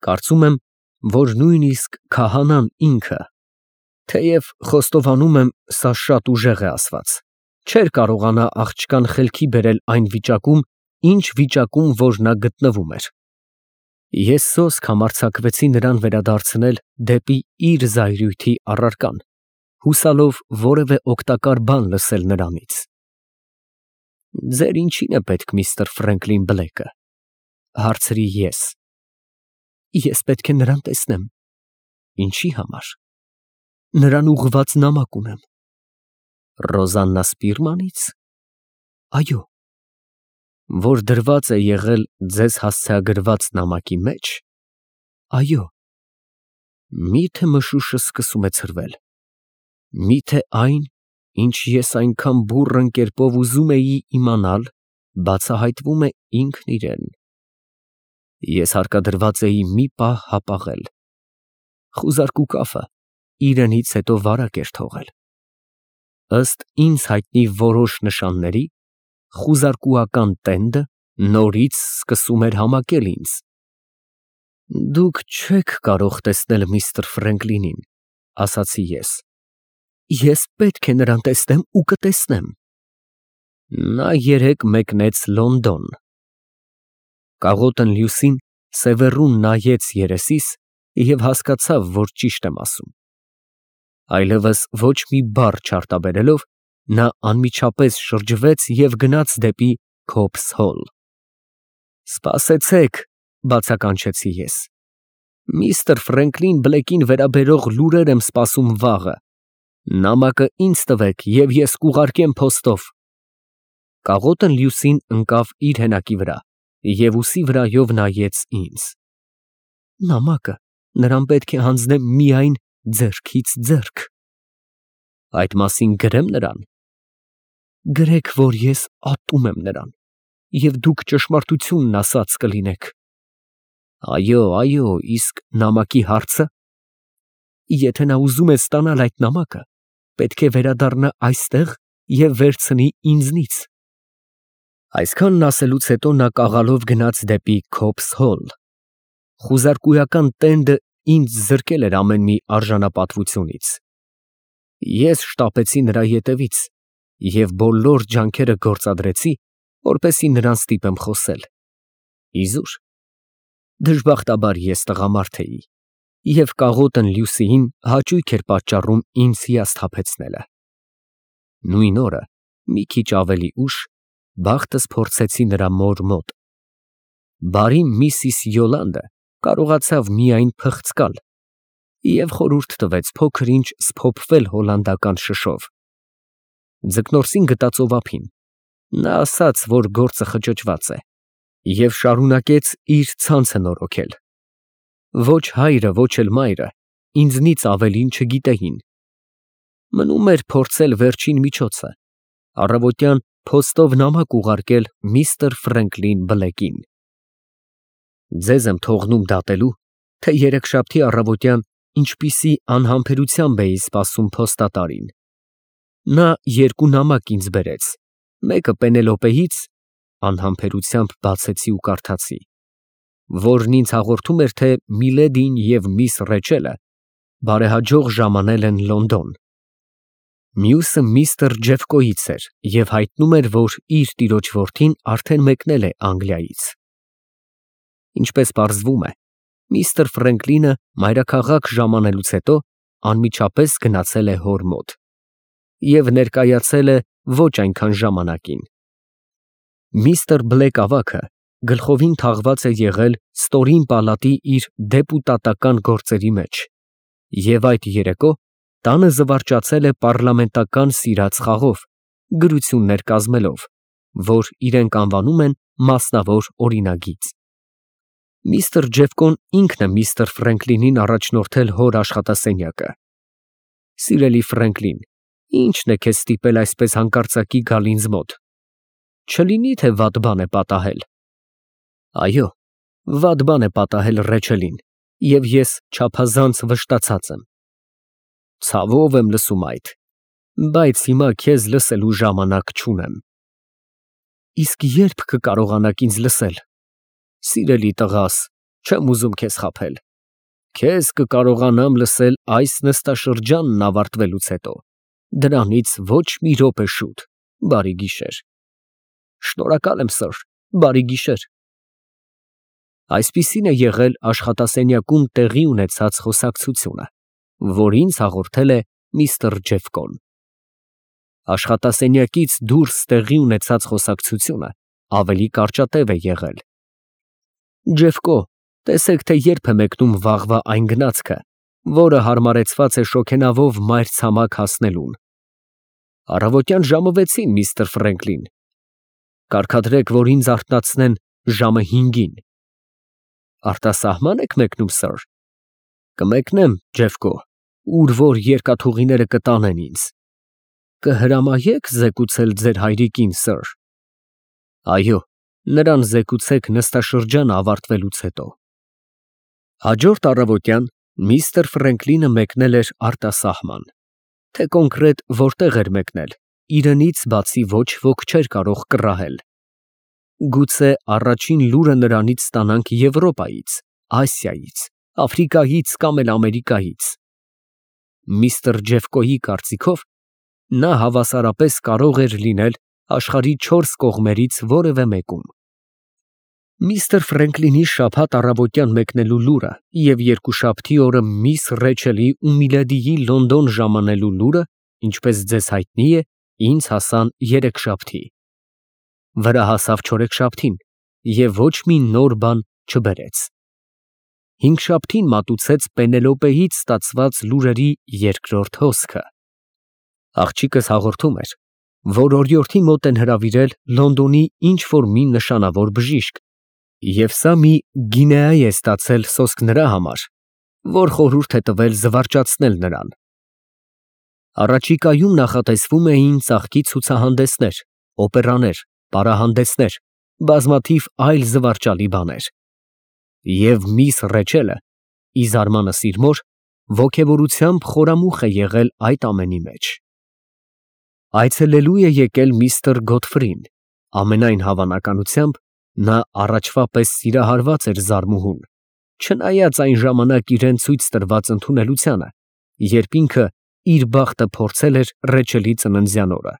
Կարծում եմ, որ նույնիսկ քահանան ինքը, թեև խոստովանում եմ, սա շատ ուժեղ է ասված, չէր կարողանա աղջկան խելքի բերել այն վիճակում, ինչ վիճակում որ նա գտնվում էր։ Ես սոսկ համարձակվեցի նրան վերադարձնել դեպի իր զայրույթի առարկան, հուսալով որևէ օգտակար բան լսել նրանից։ «Ձեր ինչին է պետք միստր Ֆրենկլին Բլեքը», հարցրի ես։ Ես պետք է նրան տեսնեմ։ Ինչի համար։ Նրան ուղղված նամակ ունեմ։ Ռոզաննա Սպիրմանից։ Այո։ Որ դրված է եղել ձեզ հասցեագրված նամակի մեջ։ Այո։ Մի՞թե մշուշը սկսում է ցրվել։ Մի՞թե այն, ինչ ես այնքան բուռն կերպով ուզում էի իմանալ, բացահայտվում է ինքն իրեն։ Ես հարկադրված էի մի պահ հապաղել։ Խուզարկու կափը իրենից հետո վարակ էր թողել։ Ըստ ինձ հայտնի որոշ նշանների, խուզարկուական տենդը նորից սկսում էր համակել ինձ։ Դուք չեք կարող տեսնել միստր Ֆրենկլինին, ասացի ես։ Ես պետք է նրան տեսնեմ ու կտեսնեմ։ Նա երեկ մեկնեց Լոնդոն։ Կաղոտն Լյուսին սևեռուն նայեց երեսիս և հասկացավ, որ ճիշտ եմ ասում։ Այլևս ոչ մի բառ չարտաբերելով, նա անմիջապես շրջվեց և գնաց դեպի Քոփս Հոլ։ Սպասեցեք, բացականչեցի ես։ Միստր Ֆրենկլին Բլեկին վերաբերող լուրեր եմ սպասում վաղը։ Նամակը ինձ տվեք և ես կուղարկեմ փոստով։ Կաղոտն Լյուսին ընկավ իր հենակի վրա և ուսի վրայով նայեց ինձ։ Նամակը նրան պետք է հանձնեմ միայն ձեռքից ձեռք։ Այդ մասին գրեմ նրան։ Գրեք, որ ես ատում եմ նրան, և դուք ճշմարտությունն ասած կլինեք։ Այո, այո, իսկ նամակի հարցը։ Եթե նա ուզում է ստանալ այդ նամակը, պետք է վերադառնա այստեղ և վերցնի ինձնից։ Այսքանն ասելուց հետո նա կաղալով գնաց դեպի Քոփս Հոլ։ Խուզարկուական տենդը ինձ զրկել էր ամեն մի արժանապատվությունից։ Ես շտապեցի նրա ետևից և բոլոր ջանքերը գործադրեցի, որպեսզի նրան ստիպեմ խոսել։ Իզուր։ Դժբախտաբար ես տղամարդ էի, և կաղոտն Լյուսիին հաճույք էր պատճառում ինձ հիասթափեցնելը։ Նույն օրը, մի քիչ ավելի ուշ, բախտս փորձեցի նրա մոր մոտ։ Բարի Միսիս Յոլանդը կարողացավ միայն փղծկալ և խորհուրդ տվեց փոքր-ինչ սփոփվել հոլանդական շշով։ Ձկնորսին գտա ծովափին։ Նա ասաց, որ գործը խճճված է, և շարունակեց իր ցանցը նորոգել։ Ոչ հայրը, ոչ էլ մայրը ինձնից ավելին չգիտեին։ Մնում էր փորձել վերջին միջոցը, առավոտյան փոստով նամակ ուղարկել միստր Ֆրենկլին Բլեկին։ Ձեզ եմ թողնում դատելու, թե երեքշաբթի առավոտյան ինչպիսի անհամբերությամբ էի սպասում փոստատարին։ Նա երկու նամակ ինձ բերեց, մեկը Պենելոպեից, անհամբերությամբ բացեցի ու կարդացի, որն ինձ հաղորդում էր, թե Միլեդին և միս Ռեչելը բարեհաջող ժամանել են Լոնդոն։ Մյուսը միստր Ջեֆկոյից էր և հայտնում էր, որ իր տիրոջ որդին արդեն մեկնել է Անգլիայից։ Ինչպես պարզվում է, միստր Ֆրենկլինը մայրաքաղաք ժամանելուց հետո անմիջապես գնացել է հոր մոտ և ներկայացել է ոչ այնքան ժամանակին։ Միստր Բլեկ ավագը գլխովին թաղված է եղել ստորին պալատի իր դեպուտատական գործերի մեջ և այդ երեկո տանը զվարճացել է պառլամենտական սիրած խաղով, գրություններ կազմելով, որ իրենք անվանում են մասնավոր օրինագիծ։ Միստր Ջեֆկոն ինքն է միստր Ֆրենկլինին առաջնորդել հոր աշխատասենյակը։ Սիրելի Ֆրենկլին, ի՞նչն է քեզ ստիպել այսպես հանկարծակի գալ ինձ մոտ։ Չլինի՞ թե վատ բան է պատահել։ Այո, վատ բան է պատահել Ռեչելին, և ես չափազանց վշտացած եմ։ Ցավով եմ լսում այդ, բայց հիմա քեզ լսելու ժամանակ չունեմ։ Իսկ ե՞րբ կկարողանաք ինձ լսել։ Սիրելի տղաս, Չեմ ուզում քեզ խաբել։ Քեզ կկարողանամ լսել այս նստաշրջանն ավարտվելուց հետո։ Դրանից ոչ մի րոպե շուտ։ Բարի գիշեր։ Շնորհակալ եմ, սըր, բարի գիշեր։ Այսպիսին է եղել աշխատասենյակում տեղի ունեցած խոսակցությունը, որ ինձ հաղորդել է միստր Ջեֆկոն։ Աշխատասենյակից դուրս տեղի ունեցած խոսակցությունը ավելի կարճատև է եղել։ Ջեֆկո, տեսեք, թե երբ է մեկնում վաղվա այն գնացքը, որը հարմարեցված է շոգենավով մայրցամաք հասնելուն։ Առավոտյան ժամը 6-ին, միստր Ֆրենկլին։ Կարգադրեք, որ ինձ արթնացնեն ժամը 5-ին։ Արտասահման եք մեկնում, սըր։ Կմեկնեմ, Ջեֆկո, ուր որ երկաթուղիները կտանեն ինձ։ Կհրամայեք զեկուցել ձեր հայրիկին, սըր։ Այո, նրան զեկուցեք նստաշրջանը ավարտվելուց հետո։ Հաջորդ առավոտյան միստր Ֆրենկլինը մեկնել էր արտասահման։ Թե կոնկրետ որտեղ էր մեկնել, իրենից բացի ոչ ոք չէր կարող կռահել։ Գուցե առաջին լուրը նրանից ստանանք Եվրոպայից, Ասիայից, Աֆրիկայից կամ էլ Ամերիկայից։ Միստր Ջեֆկոյի կարծիքով նա հավասարապես կարող էր լինել աշխարհի 4 կողմերից որևէ մեկում։ Միստր Ֆրենկլինի շաբաթ առավոտյան մեկնելու լուրը և երկուշաբթի օրը միս Ռեչելի ու Միլեդիի Լոնդոն ժամանելու լուրը, ինչպես ձեզ հայտնի է, ինձ հասան երեքշաբթի։ Վրա հասավ չորեքշաբթին և ոչ մի նոր բան չբերեց։ Հինգշաբթին մատուցեց Պենելոպեից ստացված լուրերի երկրորդ հոսքը։ Աղջիկս հաղորդում էր, որ օրիորդի մոտ են հրավիրել Լոնդոնի ինչ-որ մի նշանավոր բժիշկ, և սա մի գինեա է ստացել սոսկ նրա համար, որ խորհուրդ է տվել զվարճացնել նրան։ Առաջիկայում նախատեսվում էին ծաղկի ցուցահանդեսներ, օպերաներ, պարահանդեսներ, բազմաթիվ այլ զվարճալի բաներ։ Եվ միս Ռեչելը, ի զարմանս իր մոր, ոգևորությամբ խորամուխ է եղել այդ ամենի մեջ։ Այցելելու է եկել միստր Գոթֆրին, ամենայն հավանականությամբ նա առաջվա պես սիրահարված էր զարմուհուն, չնայած այն ժամանակ իրեն ցույց տրված ընդունելությանը, երբ ինքը իր բախտը փորձել էր Ռեչելի ծննդյան օրը։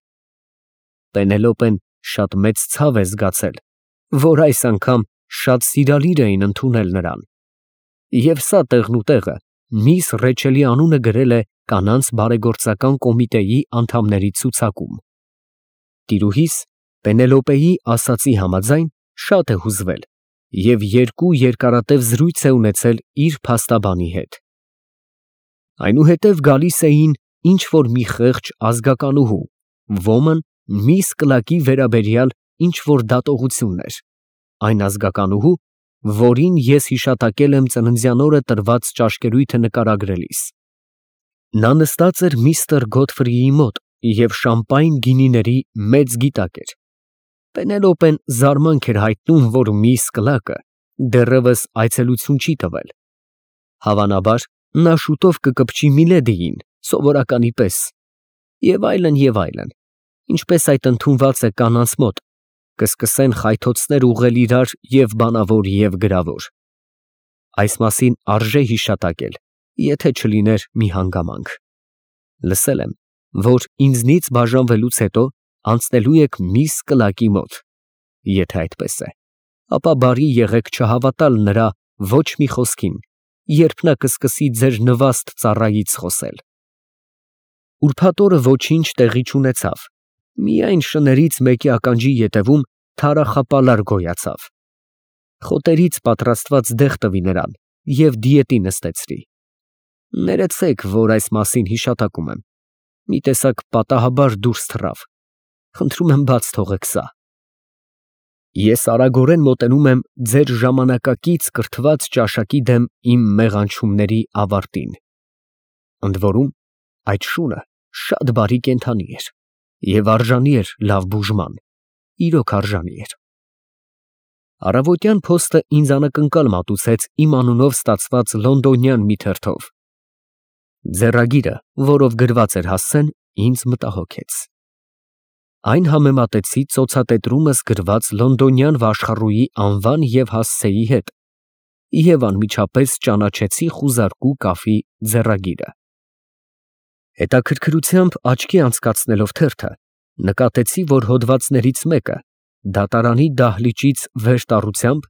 Պենելոպեն շատ մեծ ցավ է զգացել, որ այս անգամ շատ սիրալիր էին ընդունել նրան։ Եվ սա տեղնուտեղը միս Ռեչելի անունը գրել է կանանց բարեգործական կոմիտեի անդամների ցուցակում։ Տիրուհիս Պենելոպեի ասացի համաձայն շատ է հուզվել և 2 երկարատև զրույց է ունեցել իր փաստաբանի հետ։ Այնուհետև գալիս էին ինչ-որ մի խեղճ ազգականուհու, ոմն միս Կլակի վերաբերյալ ինչ-որ դատողություններ, այն ազգականուհու, որին ես հիշատակել եմ ծննդյան օրը տրված ճաշկերույթը նկարագրելիս։ Նա նստած էր միստր Գոթֆրիի մոտ և շամպայն գինիների մեծ գիտակ էր։ Պենելոպեն զարմանք էր հայտնում, որ միս Կլակը դեռևս այցելություն չի տվել։ Հավանաբար, նա շուտով կկպչի Միլեդիին, սովորականի պես, և այլն, և այլն, ինչպես այդ ընդունված է կանանց մոտ, կսկսեն խայթոցներ ուղղել իրար և բանավոր, և գրավոր։ Այս մասին արժե հիշատակել, եթե չլիներ մի հանգամանք։ Լսել եմ, որ ինձնից բաժանվելուց հետո անցնելու եք միս Կլակի մոտ։ Եթե այդպես է, ապա բարի եղեք չհավատալ նրա ոչ մի խոսքին, երբ նա կսկսի ձեր նվաստ ծառայից խոսել։ Ուրբաթ օրը ոչինչ տեղի չունեցավ, միայն շներից մեկի ականջի ետևում թարախապալար գոյացավ։ Խոտերից պատրաստված դեղ տվի նրան և դիետի նստեցրի։ Ներեցեք, որ այս մասին հիշատակում եմ։ Մի տեսակ պատահաբար դուրս թռավ։ Խնդրում եմ բաց թողեք սա։ Ես արագորեն մոտենում եմ ձեր ժամանակակից կրթված ճաշակի դեմ իմ մեղանչումների ավարտին։ Ընդ որում, այդ շունը շատ բարի կենդանի էր և արժանի էր լավ բուժման, իրոք արժանի էր։ Առավոտյան փոստը ինձ անակնկալ մատուցեց իմ անունով ստացված լոնդոնյան մի թերթով։ Ձեռագիրը, որով գրված էր հասցեն, ինձ մտահոգեց։ Այն համեմատեցի ծոցատետրումս գրված լոնդոնյան վաշխառուի անվան և հասցեի հետ, և անմիջապես ճանաչեցի խուզարկու կաֆի ձեռագիրը։ Հետաքրքրությամբ աչքի անցկացնելով թերթը, նկատեցի, որ հոդվածներից մեկը դատարանի դահլիճից վերտառությամբ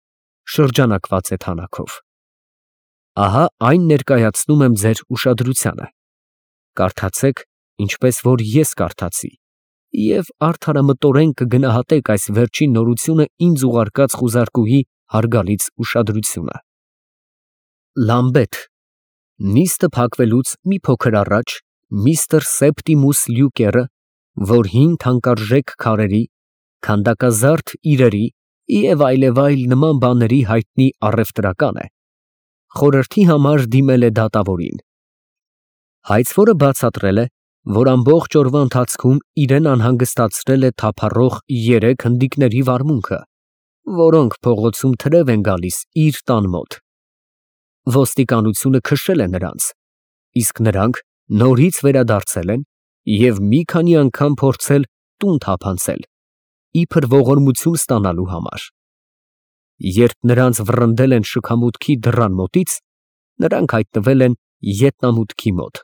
շրջանակված է թանաքով։ Ահա այն ներկայացնում եմ ձեր ուշադրությանը։ Կարդացեք, ինչպես որ ես կարդացի, և արդարամտորեն կգնահատեք այս վերջին նորությունը ինձ ուղարկած խուզարկուհի հարգալից ուշադրությունը։ Լամբեթ, նիստը փակվելուց մի փոքր առաջ միստր Սեպտիմուս Լյուկերը, որ հին թանկարժեք քարերի, քանդակազարդ իրերի և այլևայլ նման բաների հայտնի առևտրական է, խորհրդի համար դիմել է դատավորին։ Հայցվորը բացատրել է, որ ամբողջ օրվա ընթացքում իրեն անհանգստացրել է թափառող 3 հնդիկների վարմունքը, որոնք փողոցում թրև են գալիս իր տան մոտ։ Ոստիկանությունը քշել է նրանց, իսկ նրանք նորից վերադարձել են և մի քանի անգամ փորձել տուն թափանցել, իբր ողորմություն ստանալու համար։ Երբ նրանց վռնդել են շքամուտքի դռան մոտից, նրանք հայտնվել են ետնամուտքի մոտ։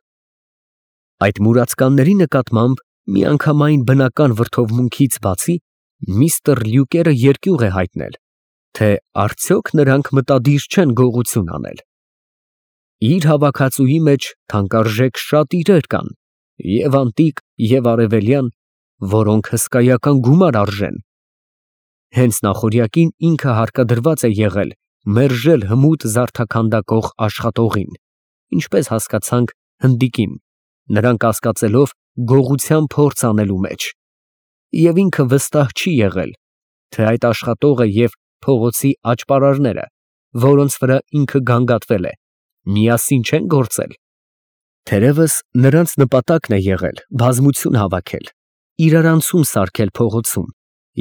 Այդ մուրացկանների նկատմամբ միանգամայն բնական վրդովմունքից բացի, միստր Լյուկերը երկյուղ է հայտնել, թե արդյոք նրանք մտադիր չեն գողություն անել։ Իր հավաքածուի մեջ թանկարժեք շատ իրեր կան, և անտիկ, և արևելյան, որոնք հսկայական գումար արժեն։ Հենց նախօրյակին ինքը հարկադրված է եղել մերժել հմուտ զարդաքանդակող աշխատողին, ինչպես հասկացանք հնդիկին, նրան կասկածելով գողության փորձ անելու մեջ, և ինքը վստահ չի եղել, թե այդ աշխատողը և փողոցի աճպարարները, որոնց վրա ինքը գանգատվել է, միասին չեն գործել։ Թերևս նրանց նպատակն է եղել բազմություն հավաքել, իրարանցում սարքել փողոցում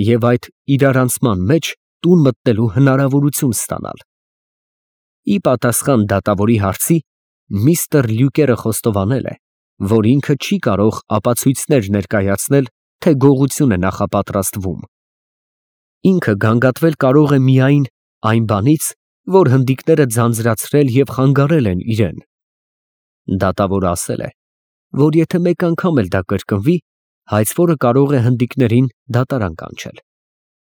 և այդ իրարանցման մեջ տուն մտնելու հնարավորություն ստանալ։ Ի պատասխան դատավորի հարցի, միստր Լյուկերը խոստովանել է, որ ինքը չի կարող ապացույցներ ներկայացնել, թե գողություն է նախապատրաստվում։ Ինքը գանգատվել կարող է միայն այն բանից, որ հնդիկները ձանձրացրել և խանգարել են իրեն։ Դատավորը ասել է, որ եթե մեկ անգամ էլ դա կրկնվի, հայցվորը կարող է հնդիկներին դատարան կանչել,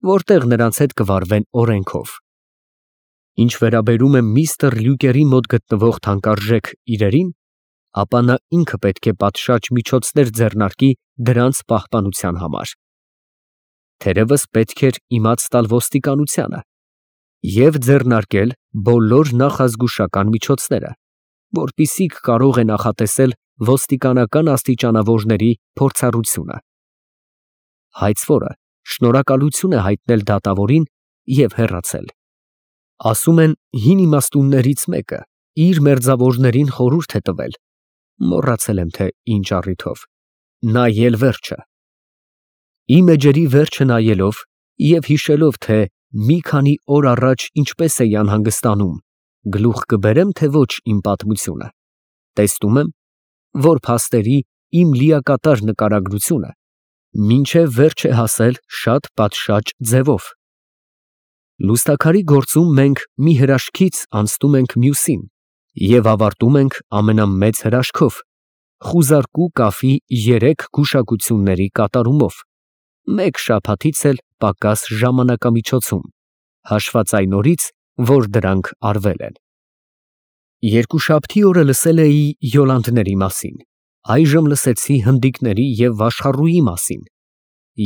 որտեղ նրանց հետ կվարվեն օրենքով։ Ինչ վերաբերում է միստր Լյուկերի մոտ գտնվող թանկարժեք իրերին, ապա նա ինքը պետք է պատշաճ միջոցներ ձեռնարկի դրանց պահպանության համար։ Թերևս պետք էր իմաց տալ ոստիկանությանը և ձեռնարկել բոլոր նախազգուշական միջոցները, որպեսզի կարող է նախատեսել ոստիկանական աստիճանավորների փորձառությունը։ Հայցվորը շնորհակալություն է հայտնել դատավորին և հեռացել։ Ասում են, հին իմաստուններից մեկը իր մերձավորներին խորհուրդ է տվել, մոռացել եմ, թե ինչ առիթով, նայել վերջը։ Իմ էջերի վերջը նայելով և հիշելով, թե մի քանի օր առաջ ինչպես էի անհանգստանում, գլուխ կբերեմ, թե ոչ իմ պատմությունը, տեսնում եմ, որ փաստերի իմ լիակատար նկարագրությունը մինչև վերջ է հասել շատ պատշաճ ձևով։ Լուստաքարի գործում մենք մի հրաշքից անցնում ենք մյուսին և ավարտում ենք ամենամեծ հրաշքով, խուզարկու կաֆի 3 գուշակությունների կատարումով, մեկ շաբաթից էլ պակաս ժամանակամիջոցում, հաշված այն օրից, որ դրանք արվել են։ Երկուշաբթի օրը լսել էի յոլանդների մասին, այժմ լսեցի հնդիկների և վաշխառուի մասին,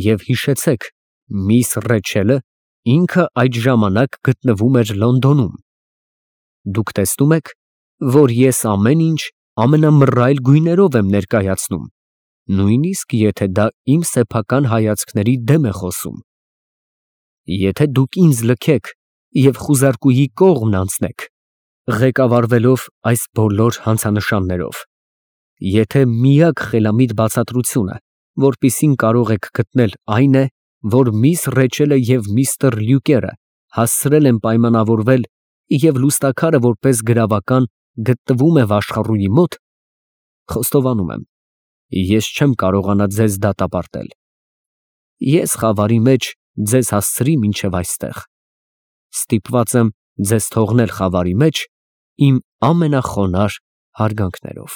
և հիշեցեք, միս Ռեչելը ինքը այդ ժամանակ գտնվում էր Լոնդոնում։ Դուք տեսնում եք, որ ես ամեն ինչ ամենամռայլ գույներով եմ ներկայացնում, նույնիսկ եթե դա իմ սեփական հայացքների դեմ է խոսում։ Եթե դուք ինձ լքեք և խուզարկուի կողմն անցնեք, ղեկավարվելով այս բոլոր հանցանշաններով, եթե միակ խելամիտ բացատրությունը, որպիսին կարող եք գտնել, այն է, որ միս Ռեչելը և միստր Լյուկերը հասցրել են պայմանավորվել և լուստաքարը որպես գրավական գտնվում է վաշխառուի մոտ, խոստովանում եմ, ես չեմ կարողանա ձեզ դատապարտել։ Ես խավարի մեջ ձեզ հասցրի մինչև այստեղ։ Ստիպված եմ ձեզ թողնել խավարի մեջ իմ ամենախոնարհ հարգանքներով։